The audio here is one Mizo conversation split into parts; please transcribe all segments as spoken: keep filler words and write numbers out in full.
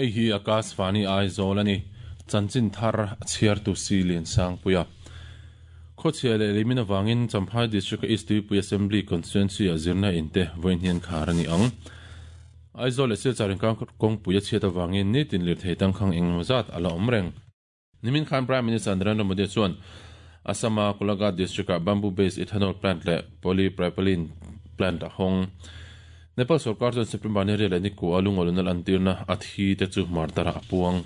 Hei hi Akashvani Aizawl ani. Chanchin thar chhiar tu si lian sang puia. Khochhia leh leimin awangin Champhai District East Tuipui Assembly Constituency a zirna inte vawiin hian khar ani ang. Aizawl leh Silchar inkar kawngpui a chhiat awangin nitin lirthei tangkhang engemaw zat a la awm reng. Nimin khan Prime Minister Narendra Modi chuan Assama Golaghat District-ah bamboo based ethanol plant leh polypropylene plant a hawng. Nepal sorkar chuan September ni riat leh ni kua lungawluna lantirna a thi te chu martar-ah a puang.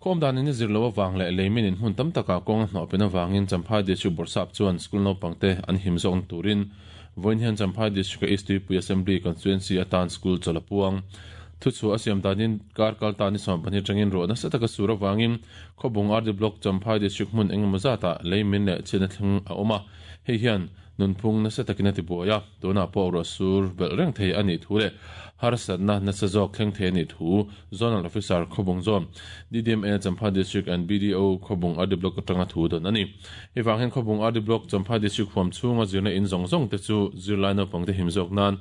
Khawm danin a zir lo avang leh leimin in hmun tam takah kawng a hnawh pen avangin Champhai District Bawrhsap chuan school naupangte an him zawk turin vawiin hian Champhai District East Tuipui Assembly Constituency atan school chawl a puang. Thuchhuah a siam danin kar kal ta ni sawm pahnih atangin ruah nasa taka sur avangin Khawbung R D Block Champhai District hmun engemaw zatah leimin leh chhiatna thleng a awm a. Hei hian nunphung nasa takin a ti buai a, tunah pawh ruah sur belh reng thei a nih thu leh harsatna nasa zawk thleng thei a nih thu Zonal Officer Khawbung Zone D D M A Champhai District and B D O Khawbung R D Block atanga thu dawn a ni. Hei vang hian Khawbung R D Block Champhai District huam chhunga zirna in zawng zawng te chu zirlai naupangte him zawk nan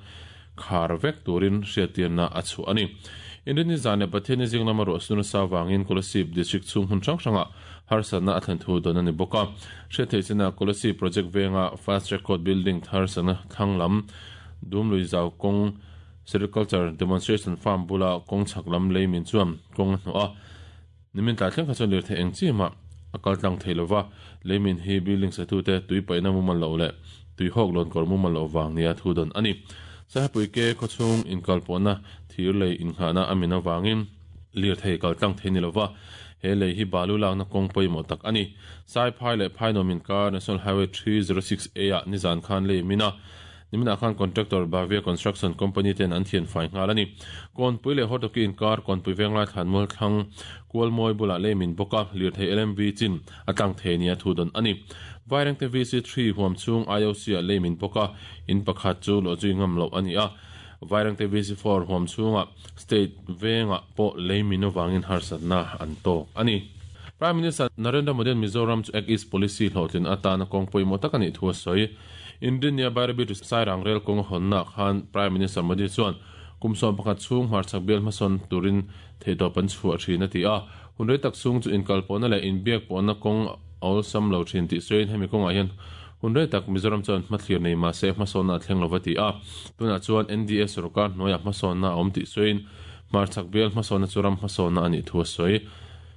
khar vek turin hriattirna a chhuah a ni. Inrinni zan leh Pathianni zing lama ruah sur nasa avangin Kolasib District chhung hmun hrang hrangah harsatna a thlen thu dawn a ni bawk a. Hriattheih chinah Kolasib Project venga Fast Track Court Building thar sakna thlang lam Dumlui Zau kawng Sericulture Demonstration Farm bula kawng chhak lam leimin chuan kawng a hnawh a. Nimin tlai thleng kha chuan lirthei eng chimah a kal tlang thei lova, leimin hi building satute tui paihna mumal loh leh tui hawk lawn kawr mumal loh vang nia thu dawn a ni. Sahepui ke khawchhung inkal pawhna thir lei inghahna a min avangin lirthei kal tlang thei ni lova, he lei hi balu lakna kawng pawimawh tak a ni. Saiphai leh Phainuam inkar National Highway three zero six A ah nizan khan lei min a, niminah khan contractor Bhavya Construction Company ten an thian fai nghal a ni. Kawnpui leh Hortoki inkar Kawnpui Venglai Thlanmual thlang Kualmawi bulah lei min bawk a, lirthei L M V chin a tlang thei nia thu dawn a ni. Vairengte V C three huam chhung I O C ah lei min bawk a, in pakhat chu luah zui ngam loh a ni a. Vairengte V C four huam chhungah state vengah pawh lei min avangin harsatna an tawk a ni. Prime Minister Narendra Modi Mizoram chu Act East Policy hlawhtlin atana kawng pawimawh tak a nih thu a sawi. India Bairabi to Sairang rail kawng a hawnna khan Prime Minister Modi chuan kum sawm pakhat chhung hmarchhak bial hmasawn turin theihtawp an chhuah thin a ti a. Hun rei tak chhung chu inkal pawhna leh inbiak pawhna kawng a awlsam lo thin tih sawiin hemi kawngah hian hun rei tak Mizoram chuan hmathlir nei mahse hmasawnna a thleng lova ti a. Tunah chuan N D A sorkar hnuaiah hmasawnna a awm tih sawiin hmarchhak bial hmasawnna chu ram hmasawnna a nih thu a sawi.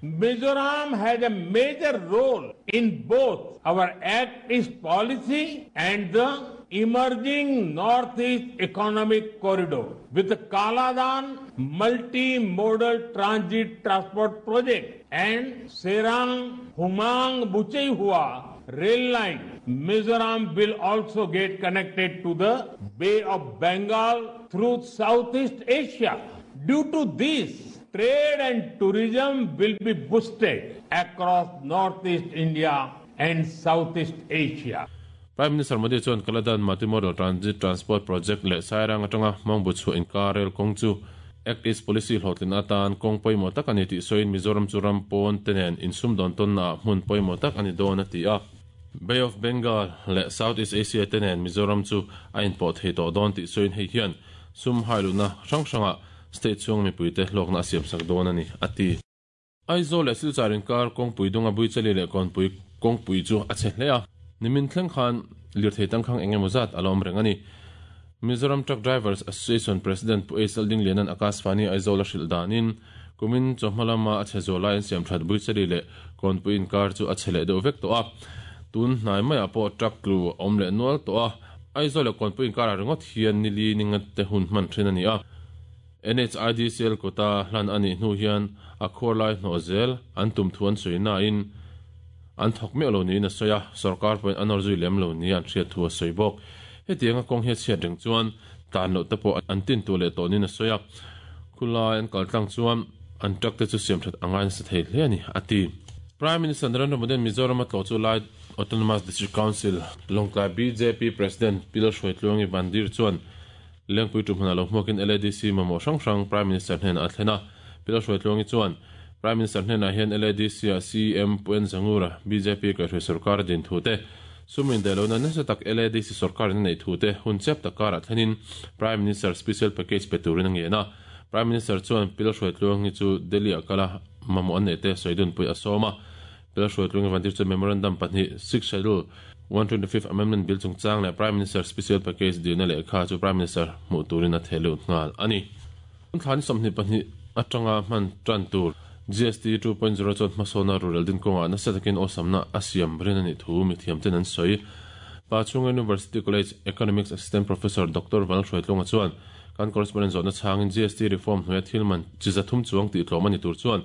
Mizoram has a major role in both our Act East policy and the emerging Northeast Economic Corridor with the Kaladan Multi-Modal Transit Transport Project and Sairang Humang Bucheihua rail line. Mizoram will also get connected to the Bay of Bengal through Southeast Asia. Due to this, trade and tourism will be boosted across Northeast India and Southeast Asia. Prime Minister Modi chuan Kaladan Multimodal Transit Transport Project leh Sairang atanga Mangbu chhuah inkar rail kawng chu Act East Policy hlawhtlin atan kawng pawimawh tak a ni tih sawiin Mizoram chu ram pawn te nen insum dawn tawnna hmun pawimawh tak a ni dawn a ti a. Bay of Bengal leh Southeast Asia te nen Mizoram chu a inpawh thei tawh dawn tih sawiin hei hian sum hailuna hrang hrangah state chhung mipuite hlawkna a siam sak dawn a ni a ti. Aizawl leh Silchar inkar kawngpui dunga Buichali leh Kawnpui kawngpui chu a che hle a. Nimin thleng khan lirthei tangkhang engemaw zat a la awm reng a ni. Mizoram Truck Drivers Association President Pu Ace Alding Lianan Akashvani Aizawl a hrilh danin kumin chawhma lama a che zawh lai an siam that Buichali leh Kawnpui inkar chu a che leh deuh vek tawh a. Tun hnai maiah pawh truck tlu a awm leh nual tawh a. Aizawl leh Kawnpui inkarah ringawt hian nili ninga te hun hman thin a ni a. N H I D C L kota hlan a nih hnu hian a khuar lai hnawh zel an tum thu an sawi nain an thawk meuh lo niin a sawi a, sorkar pawhin an awr zui lem lo ni an hriat thu a sawi bawk. Hetiang a kawng hi a chhiat reng chuan tlan loh te pawh an tin tu leh tawh niin a sawi a. Khulai an kal tlang chuan an truck te chu siam that angai nasa thei hle a ni a ti. Prime Minister Narendra Modi Mizoram a tlawh chu lai Autonomous District Council Lawngtlai B J P President Pil Hruaitluangi Vandir chuan Lengpui tumhmun a lo hmuakin L A D C mamawh hrang hrang Prime Minister hnenah a thlen a. Pil Hruaitluangi chuan Prime Minister hnenah hian L A D C a C M Puen Zangura B J P kaihhruai sarkar a din thu te sumin dailona nasa tak L A D C sarkar in a nei thu te hun chep tak karah thlenin Prime Minister Special Package pe turin a ngen a. Prime Minister chuan Pi Lalhruaitluangi chu Delhi a kala mamawh an neih te sawi pui a sawm a. Pi Lalhruaitluangi vantir chuan memorandum pahnih Sixth Schedule one twenty-fifth Amendment Bill chungchang leh Prime Minister Special Package dilna lehkha chu Prime Minister hmuh turin a theh lut nghal a ni. Thlan sawmhnih pahnih atanga hman tan tur G S T two point zero chuan hmasawna rural din kawnga nasa takin awsamna a siam rin a nih thu mithiam ten an sawi. Pachhunga University College Economics Assistant Professor Doctor Vanlalhruaitlunga chuan kan correspondent zawhna chhangin G S T reform hnuaia thil man chi zathum chuang tih tlawm a ni tur chuan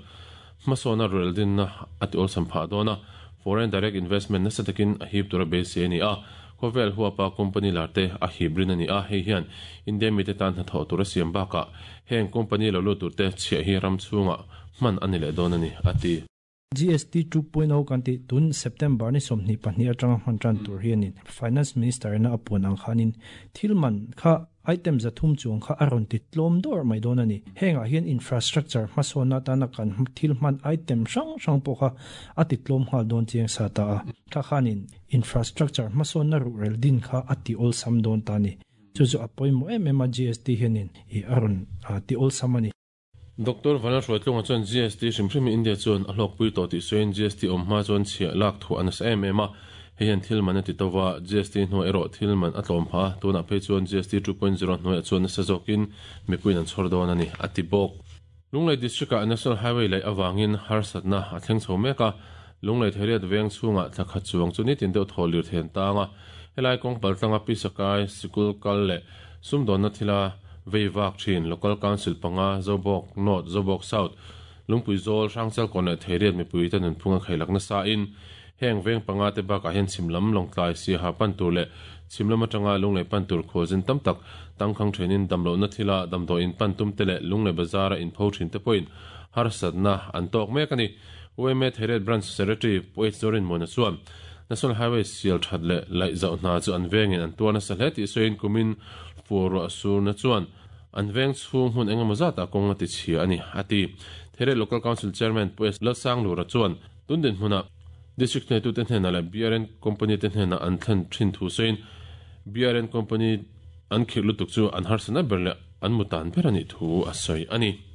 hmasawna rural dinna a ti awlsam phah dawn a. Foreign direct investment nasa takin a hip tura beisei a ni a. Khawvel huapa company larte a hip rin a ni a. Hei hian India mite tan hnathawh tura siam bakah heng company lo lut turte chhiah hi ram chhunga hman a ni leh dawn a ni a ti. G S T two point oh kan ti tun September ni sawmhnih pahnih atanga hman tan tur hianin Finance Minister na apuan ang khanin thilman kha item zathum chuang kha aron ti tlawm dawr mai dawn a ni. Hengah hian infrastructure hmasawna tana kan thilman item hrang hrang pawh kha a ti tlawm nghal dawn chiang sa ta a. Kha khanin infrastructure hmasawna ruhrel din kha a ti awlsam dawn ta ni. Chu chu a pawimawh em em a G S T hianin i aron ti awlsam a ni. Doctor Vanlalhruaitlunga chuan G S T hrim hrim India chuan a hlawkpui tawh tih sawiin G S T awm hma chuan chhiah lak thuah a nasa em em a. Hei hian thil man a ti tova G S T hnuai erawh thil man a tlawm phah a. Tunah phei chuan G S T two point zero hnuaiah chuan nasa zawkin mipuiin an chhawr dawn a ni a ti bawk. Lunglei District-ah National Highway laih awangin harsatna a thleng chho mek a. Lunglei Theriat veng chhungah thla khat chuang chu nitin deuh thaw lir then tang a. Helai kawng paltlanga Pisakai, Sikul kal leh sumdawnna thila veivak thin Local Council panga Zobawk North, Zobawk South, Lungpui Zawl, Hrangchal kawn leh Theriat mipui te nunphunga khailakna sa in heng veng panga te bakah hian chhimlam lawngtlai siaha pan tur leh chhimlam atanga lunglei pan tur khualzin tam tak tangkhang thenin damlohna thila damdawiin pan tum te leh lunglei bazara in pho thin te pawhin harsatna an tawk mek a ni. U M A Theriat Branch Secretary Poet Zorin Mona chuan National Highway sial that leh laih zauh hna chu an vengin an tuarna sa hle tih sawiin kumin fur surna chuan an veng chhung hmun engemaw zat a kawng a ti chhia a ni a ti. Theriat Local Council Chairman Poet Lalsanglura chuan tundin hmuna District nei tu te hnena leh B R N Company te hnena an thlen thin thu sawiin B R N Company an khirh lutuk chu an harsana ber leh an mutan ber a nih thu a sawi a ni.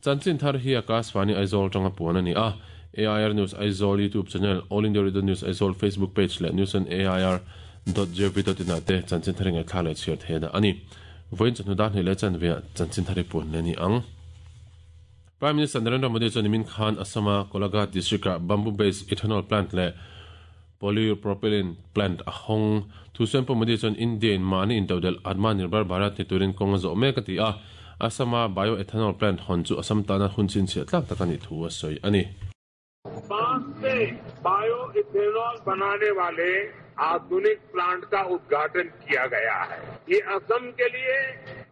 Chanchin thar hi Akashvani Aizawl tanga puan a ni a. A I R News Aizawl YouTube channel, All India Radio News Aizawl Facebook page leh news on A I R dot gov dot in ah te chanchin thar ngai thla leh chhiar thehna a ni. Vawiin chawhnu dan hnih leh chanve ah chanchin thar hi puan le ni ang. Prime Minister Narendra Modi chuan nimin khan Assama Golaghat District-ah bamboo-based ethanol plant leh polypropylene plant a hawng. Thu sawiin pawh Modi chuan India in mahni intodel Atmanirbhar Bharat ni turin kawng a zawh mek a ti a. Assama bioethanol plant hawn chu Assam tana hun chhinchhiah tlak tak a nih thu a sawi a ni. बांस से bio ethanol बनाने वाले आधुनिक plant का उद्घाटन किया गया है। ये असम के लिए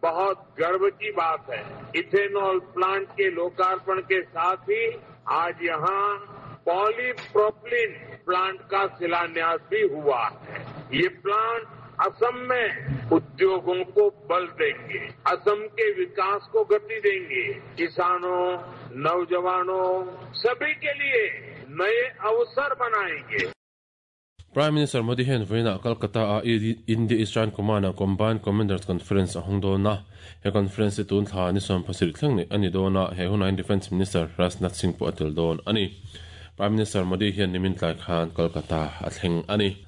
बहुत गर्व की बात है। इथेनॉल प्लांट के लोकार्पण के साथ ही आज यहाँ पॉलीप्रोपिलीन प्लांट का शिलान्यास भी हुआ है। ये प्लांट असम में उद्योगों को बल देंगे, असम के विकास को गति देंगे, किसानों, नौजवानों सभी के लिए नए अवसर बनाएंगे। Prime Minister Modi hian vawiinah Kolkata a India Eastern Command-a Combined Commanders Conference a hawng dawn a. He conference hi tun thla ni sawm pasarih thleng nei a ni dawn a. He hunain Defence Minister Rajnath Singh pawh a tel dawn a ni. Prime Minister Modi hian nimin tlai khan Kolkata a thleng a ni.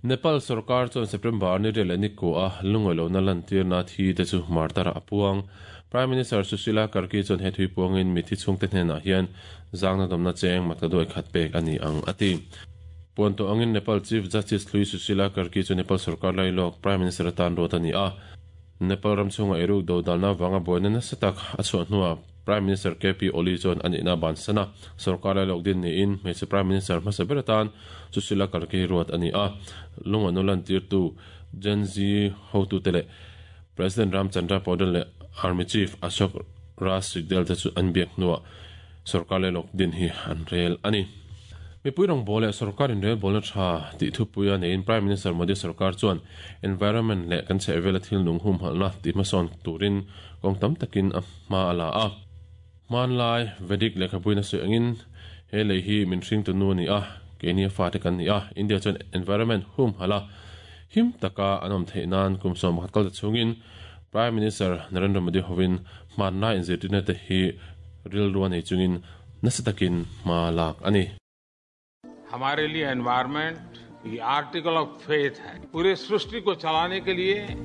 Nepal sarkar chuan September ni rel ni ko a lungawi na lan tirna thi te chu martara a puang. Prime Minister Sushila Karki chuan he thui puangin mithi chhung te hnenah hian zangna damna cheng matadoi khat pek a ni ang a ti. Puan to angin Nepal Chief Justice Lui Sushila Karki chu Nepal sarkar lailawk Prime Minister atan ruat a ni a. Nepal ram chhunga eruk do dalna wanga buaina nasa tak a chhuah hnuah Prime Minister K P Oli chuan a nihna bansana sarkar lailawk din niin hmeichhe Prime Minister hmasa ber atan Sushila Karki ruat a ni a. Lunga nulan tirtu Gen Z hotu te leh President Ramchandra Paudel leh Army Chief Ashok Raj Sigdel te chu an biak hnuah sarkar lailawk din hi an rel a ni. Mipui rawng bawl leh sarkarin rel bawlna tha tih thupuia neiin Prime Minister Modi sarkar chuan environment leh kan chheh vela thil nung hum halna tih hmasawn turin kawng tam takin a hma a la a. Hmanlai Vedic lehkhapuina sawi angin he lei hi min hring tu nu a ni a, keini a fa te kan ni a. India chuan environment hum hala him taka an awm theih nan kum sawm pakhat kal ta chungin Prime Minister Narendra Modi hovin hmanlai inzirtirna te hi rilru a nei chungin nasa takin hma lak a ni. हमारे लिए environment ये article of faith है। पूरे सृष्टि को चलाने के लिए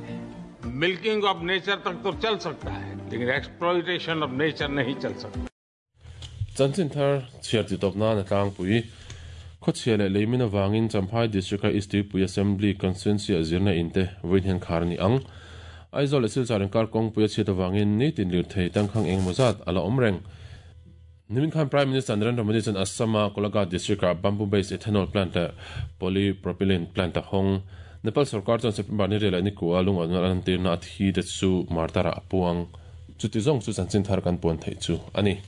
milking of nature तक तो चल सकता है, लेकिन exploitation of nature नहीं चल सकता। Chanchin thar chhiar ti tawp nan a tlangpui. Khawchhia leh leimin avangin Champhai District-a East Tuipui Assembly Constituency-ah zirna in te vawiin hian khar a ni ang. Aizawl leh Silchar inkar kawngpui a chhiat avangin nitin lirthei tangkhang engemaw zat a la awm reng. Nimin khan Prime Minister Narendra Modi chuan Assam-a Golaghat District-ah bamboo-based ethanol plant leh polypropylene plant a hawng. Nepal sorkar chuan September ni riah leh nikua lungawn a lantirna a thi te chu martar-ah a puang. Chuti zawng chu chanchin thar kan puan theih chu a ni.